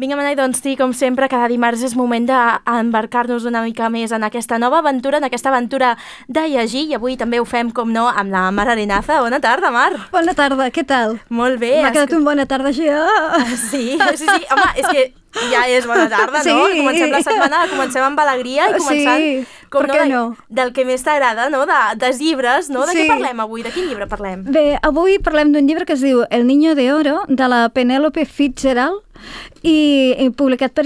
Vinga, Manai, doncs sí, com sempre, cada dimarts és moment d'embarcar-nos una mica més en aquesta nova aventura, en aquesta aventura de llegir, i avui també ho fem, com no, amb la Mar Arenaza. Bona tarda, Mar. Bona tarda, què tal? Molt bé. M'ha quedat un bona tarda, ja. Sí, home, és que ja és bona tarda, no? Sí. Comencem la setmana, comencem amb alegria i començant, sí, com per què no? Del que més t'agrada, no? Dels llibres, no? De què parlem avui? De quin llibre parlem? Bé, avui parlem d'un llibre que es diu El niño de oro, de la Penélope Fitzgerald, i publicat per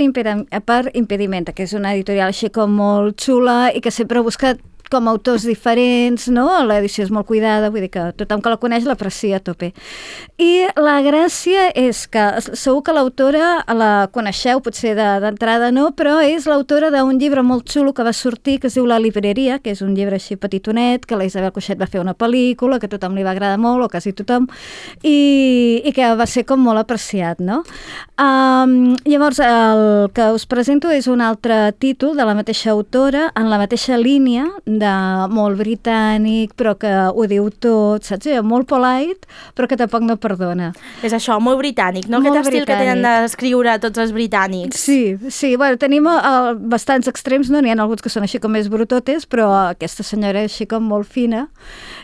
Impedimenta, que és una editorial així com molt xula i que sempre ha buscat com autors diferents, no? L'edició és molt cuidada, vull dir que tothom que la coneix l'aprecia a tope. I la gràcia és que segur que l'autora la coneixeu, potser d'entrada no, però és l'autora d'un llibre molt xulo que va sortir, que es diu La libreria, que és un llibre així petitonet, que la Isabel Coixet va fer una pel·lícula, que a tothom li va agradar molt, o quasi tothom, i que va ser com molt apreciat, no? Llavors, el que us presento és un altre títol de la mateixa autora, en la mateixa línia, de molt britànic, però que ho diu tot, saps? Molt polite, però que tampoc no perdona. És això, molt britànic, no? Molt Aquest estil que tenen d'escriure tots els britànics. Sí, bueno, tenim bastants extrems, no? N'hi ha alguns que són així com més brutotes, però aquesta senyora és així com molt fina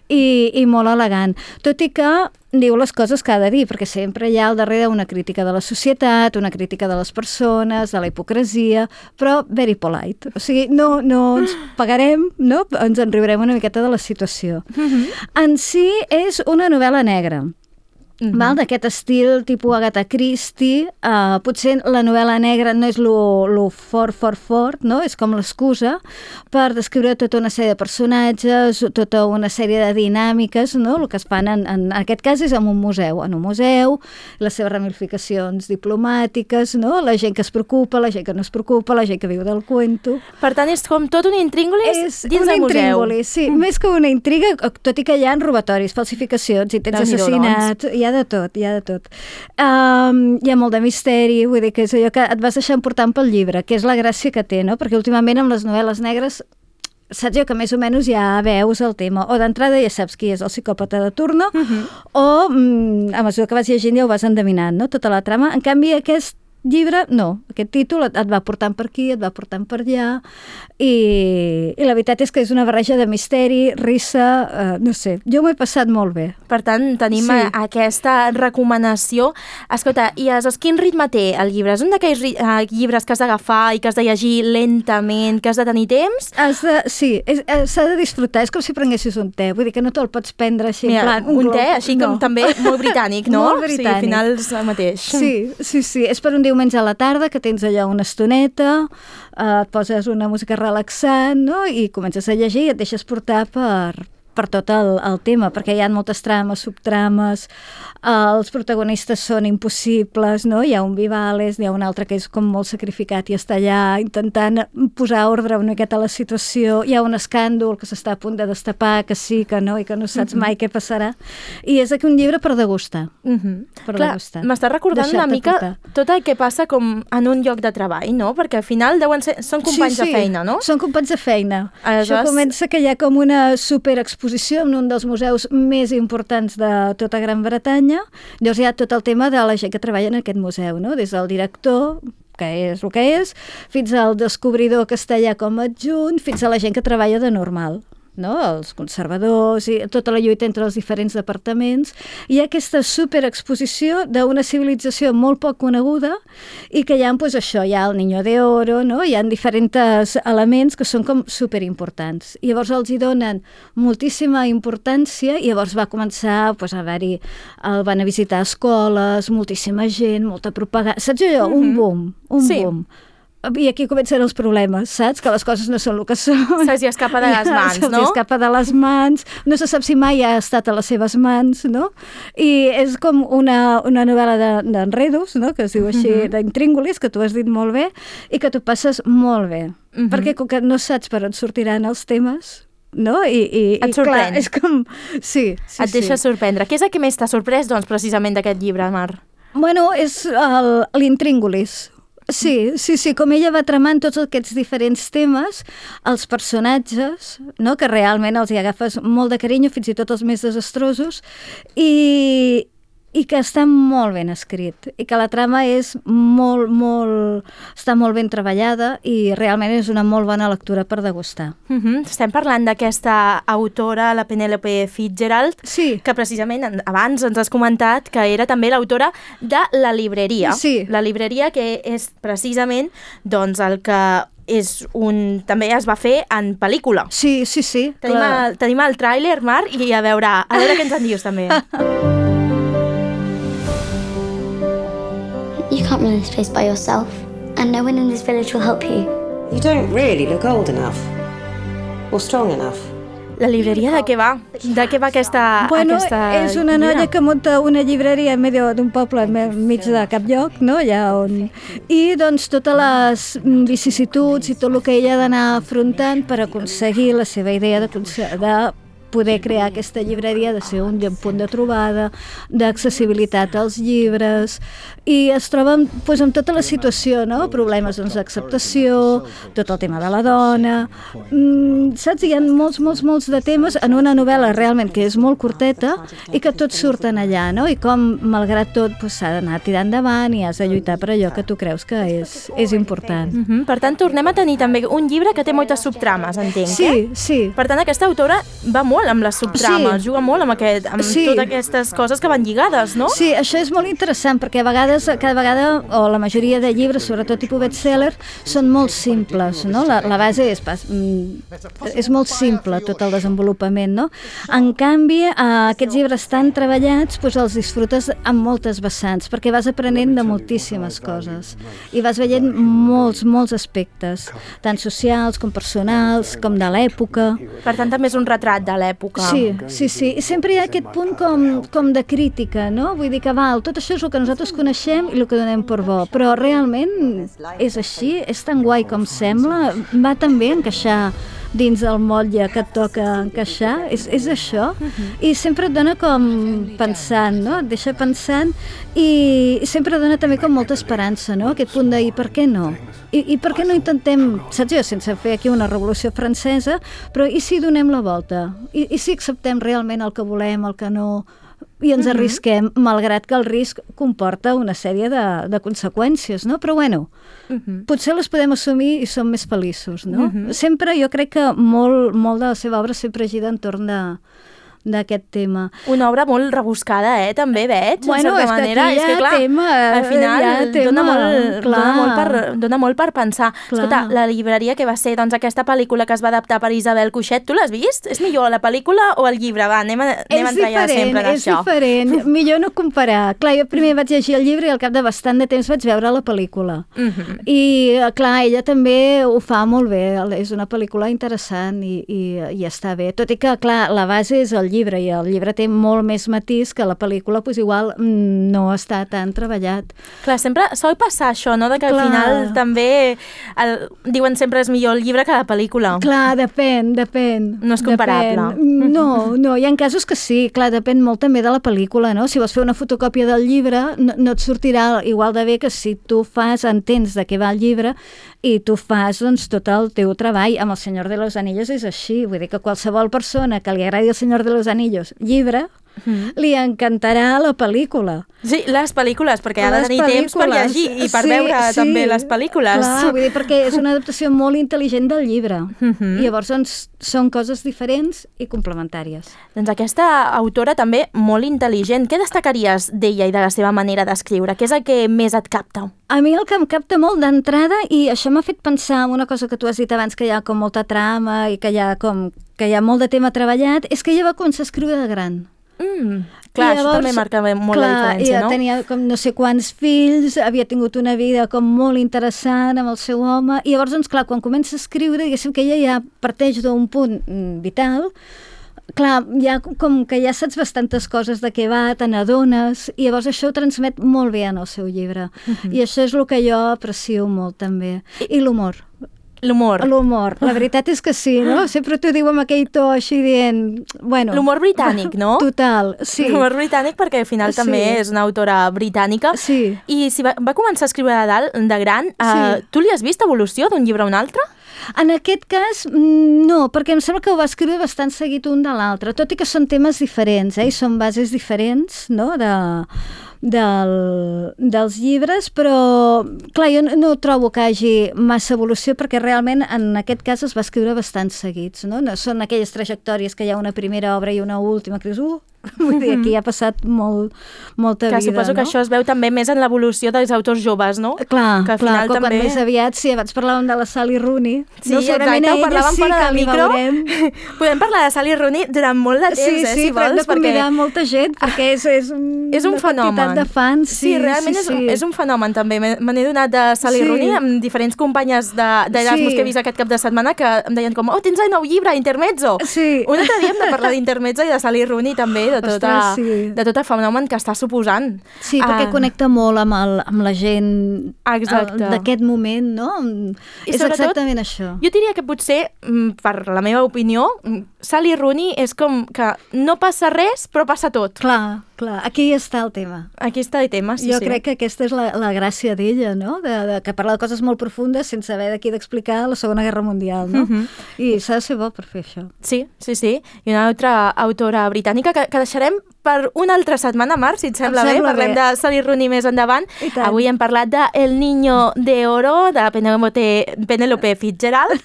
i molt elegant. Tot i que diu les coses que ha de dir, perquè sempre hi ha al darrere una crítica de la societat, una crítica de les persones, de la hipocresia, però very polite. O sigui, no ens pagarem, no? Ens en riurem una miqueta de la situació. En si és una novel·la negra. Val? D'aquest estil tipus Agatha Christie, potser la novel·la negra no és lo fort, no? És com l'excusa per descriure tota una sèrie de personatges, tota una sèrie de dinàmiques, no? El que es fan en aquest cas és en un museu, les seves ramificacions diplomàtiques, no? La gent que es preocupa, la gent que no es preocupa, la gent que viu del cuento. Per tant, és com tot un intríngulis dins del museu. És un intríngulis, sí. Més que una intriga, tot i que hi ha robatoris, falsificacions, intents assassinats, hi ha de tot. Hi ha molt de misteri, vull dir que és allò que et vas deixar emportant pel llibre, que és la gràcia que té, no? Perquè últimament amb les novel·les negres saps jo que més o menys ja veus el tema, o d'entrada ja saps qui és el psicòpata de turno, o a mesura que vas llegint ja ho vas endevinant, no? Tota la trama. En canvi, aquest llibre, no. Aquest títol et va portant per aquí, et va portant per allà, i la veritat és que és una barreja de misteri, risa, no sé, jo m'ho he passat molt bé. Per tant, tenim aquesta recomanació. Escolta, i quin ritme té el llibre? És un d'aquells llibres que has d'agafar i que has de llegir lentament, que has de tenir temps? Sí, s'ha de disfrutar, és com si prenguessis un te, vull dir que no te'l pots prendre així en plan... Un te, així com també molt britànic, no? Molt britànic. Sí, al final és el mateix. Sí, és per un diumenge a la tarda, que tens allò una estoneta, et poses una música relaxant, no? I comences a llegir i et deixes portar per tot el tema, perquè hi ha moltes trames, subtrames, els protagonistes són impossibles, no? Hi ha un Vivales, hi ha un altre que és com molt sacrificat i està allà intentant posar ordre una miqueta a la situació, hi ha un escàndol que s'està a punt de destapar, que sí, que no, i que no saps mai què passarà, i és aquí un llibre per degustar. Degustar. M'està recordant una mica tot el que passa com en un lloc de treball, no? Perquè al final són companys de feina, no? Són companys de feina. Aleshores... Això comença que hi ha com una superexposició en un dels museus més importants de tota Gran Bretanya. Llavors hi ha tot el tema de la gent que treballa en aquest museu, no? Des del director, que és el que és, fins al descobridor que està allà com a adjunt, fins a la gent que treballa de normal, no? Els conservadors i tota la lluita entre els diferents departaments. Hi ha aquesta superexposició d'una civilització molt poc coneguda i que hi ha, doncs això, hi ha el Niño de Oro, no? Hi ha diferents elements que són com superimportants. I llavors els hi donen moltíssima importància i llavors va començar a haver-hi, van a visitar escoles, moltíssima gent, molta propaganda, saps allò? Un boom. I aquí comencen els problemes, saps? Que les coses no són el que són. Se'ls escapa de les mans, no? Se'ls escapa de les mans, no se sap si mai ha estat a les seves mans, no? I és com una novel·la d'enredos, no? Que es diu així, d'intríngulis, que tu has dit molt bé, i que tu passes molt bé. Perquè com que no saps per on sortiran els temes, no? I et sorprèn. Clar, és com... Sí. Et deixa sorprendre. Què és el que més t'ha sorprès, doncs, precisament d'aquest llibre, Mar? Bueno, és l'intríngulis. Sí, com ella va tramant tots aquests diferents temes, els personatges, no? Que realment els hi agafes molt de carinyo, fins i tot els més desastrosos, i i que està molt ben escrit i que la trama és està molt ben treballada i realment és una molt bona lectura per degustar. Estem parlant d'aquesta autora, la Penelope Fitzgerald, que precisament abans ens has comentat que era també l'autora de La libreria. Sí. La libreria, que és precisament doncs, el que també es va fer en pel·lícula. Sí. Tenim el tràiler, Mar, i a veure què ens en dius també. You can't run this place by yourself, and no one in this village will help you. You don't really look old enough, or strong enough. La libreria de què va? De què va aquesta és una noia que munta una llibreria en medio d'un poble enmig de cap lloc, no? I doncs totes les vicissituds i tot el que ella ha d'anar afrontant per aconseguir la seva idea de poder crear aquesta llibreria, de ser un punt de trobada, d'accessibilitat als llibres, i es troba amb tota la situació, no? Problemes d'acceptació, tot el tema de la dona, saps? Hi ha molts de temes en una novel·la realment que és molt curteta i que tots surten allà, no? I com, malgrat tot, s'ha d'anar tirant endavant i has de lluitar per allò que tu creus que és important. Per tant, tornem a tenir també un llibre que té moltes subtrames, entenc, Sí. Per tant, aquesta autora va molt amb les subtrames, juga molt amb totes aquestes coses que van lligades, no? Sí, això és molt interessant, perquè a vegades, cada vegada, o la majoria de llibres, sobretot tipus bestseller, són molt simples, no? La base és molt simple, tot el desenvolupament, no? En canvi, aquests llibres tan treballats, els disfrutes amb moltes vessants, perquè vas aprenent de moltíssimes coses, i vas veient molts aspectes, tant socials com personals, com de l'època. Per tant, també és un retrat de l'època. Sí. I sempre hi ha aquest punt com de crítica, no? Vull dir que tot això és el que nosaltres coneixem i el que donem per bo, però realment és així, és tan guai com sembla, va tan bé encaixar dins del motlle que et toca encaixar, és això, i sempre et dona com pensant, no? Et deixa pensant i sempre dona també com molta esperança, no? Aquest punt de i per què no? I per què no intentem, saps jo, sense fer aquí una revolució francesa, però i si donem la volta? I si acceptem realment el que volem, el que no, i ens arrisquem, malgrat que el risc comporta una sèrie de conseqüències, no? Però bueno, potser les podem assumir i som més feliços, no? Sempre, jo crec que molt de la seva obra sempre gira entorn d'aquest tema. Una obra molt rebuscada, també, veig, bueno, en certa manera. És que clar, al final dona molt per pensar. Escolta, la llibreria que va ser aquesta pel·lícula que es va adaptar per Isabel Cuixet, tu l'has vist? És millor la pel·lícula o el llibre? Va, anem a entrallar sempre en això. És diferent, millor no comparar. Clar, jo primer vaig llegir el llibre i al cap de bastant de temps vaig veure la pel·lícula. I, clar, ella també ho fa molt bé, és una pel·lícula interessant i està bé. Tot i que, clar, la base és el llibre i el llibre té molt més matís que la pel·lícula, igual no està tan treballat. Clar, sempre sol passar això, no? De que al final també diuen sempre és millor el llibre que la pel·lícula. Clar, depèn. No és comparable. No, hi ha casos que sí, clar, depèn molt també de la pel·lícula, no? Si vols fer una fotocòpia del llibre, no et sortirà igual de bé que si tu entens de què va el llibre i tu fas tot el teu treball. Amb El Senyor de los Anillos és així, vull dir que qualsevol persona que li agradi El Senyor de los Anillos llibre, li encantarà la pel·lícula. Sí, les pel·lícules, perquè ha de tenir temps per llegir i per veure també les pel·lícules. Clar, vull dir, perquè és una adaptació molt intel·ligent del llibre. I llavors són coses diferents i complementàries. Doncs aquesta autora també molt intel·ligent. Què destacaries d'ella i de la seva manera d'escriure? Què és el que més et capta? A mi el que em capta molt d'entrada, i això m'ha fet pensar en una cosa que tu has dit abans, que hi ha com molta trama i que hi ha molt de tema treballat, és que ella va començar a escriure de gran. Clar, llavors, això també marca molt la diferència, no? Tenia com no sé quants fills, havia tingut una vida com molt interessant amb el seu home, i llavors, doncs, clar, quan comença a escriure, diguéssim que ella ja parteix d'un punt vital, clar, com que ja saps bastantes coses de què va, te n'adones, i llavors això ho transmet molt bé en el seu llibre. I això és el que jo aprecio molt, també. I l'humor. L'humor. La veritat és que sí, no? Sempre t'ho diu amb aquell to així dient... Bueno, l'humor britànic, no? Total, sí. L'humor britànic perquè al final també és una autora britànica. Sí. I si va començar a escriure de gran, tu li has vist evolució d'un llibre a un altre? En aquest cas, no, perquè em sembla que ho va escriure bastant seguit un de l'altre, tot i que són temes diferents, i són bases diferents, no?, dels llibres, però clar, jo no trobo que hi hagi massa evolució perquè realment en aquest cas es va escriure bastant seguits, no? No són aquelles trajectòries que hi ha una primera obra i una última que dius, vull dir, aquí ha passat molta vida, suposo que això es veu també més en l'evolució dels autors joves, no? Clar, que al final quan també... més aviat, sí, abans parlàvem de la Sally Rooney. Sí, exacte, ho parlàvem fora del micro. Podem parlar de Sally Rooney durant molt de temps, si vols. Sí, però hem de convidar molta gent, perquè és un fenomen. De fans. Sí, realment és un fenomen també. Me n'he donat de Sally Rooney amb diferents companyes d'Erasmus que he vist aquest cap de setmana que em deien com, tens el nou llibre, Intermezzo. Sí. Un altre dia hem de parlar d'Intermezzo i de Sally Rooney també, de tot el fenomen que està suposant. Sí, perquè connecta molt amb la gent d'aquest moment, no? És exactament això. Jo diria que potser, per la meva opinió, Sally Rooney és com que no passa res, però passa tot. Clar, aquí està el tema. Aquí està el tema, sí. Jo crec que aquesta és la gràcia d'ella, no? Que parla de coses molt profundes sense haver d'aquí d'explicar la Segona Guerra Mundial, no? I s'ha de ser bo per fer això. Sí. I una altra autora britànica que deixarem per una altra setmana, Mar, si et sembla bé. Parlem de Sally Rooney més endavant. Avui hem parlat de El Niño de Oro, de Penélope Fitzgerald.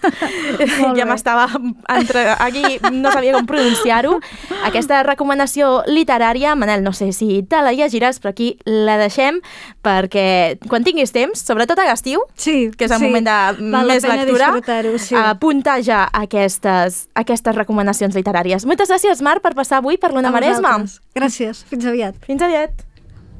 Ja m'estava aquí, no sabia com pronunciar-ho. Aquesta recomanació literària, Manel, no sé si te la llegiràs, però aquí la deixem perquè quan tinguis temps, sobretot a l'estiu, que és el moment de més lectura, apunta ja aquestes recomanacions literàries. Moltes gràcies, Mar, per passar avui per l'Ona Maresma. Gràcies. Fins aviat. Fins aviat.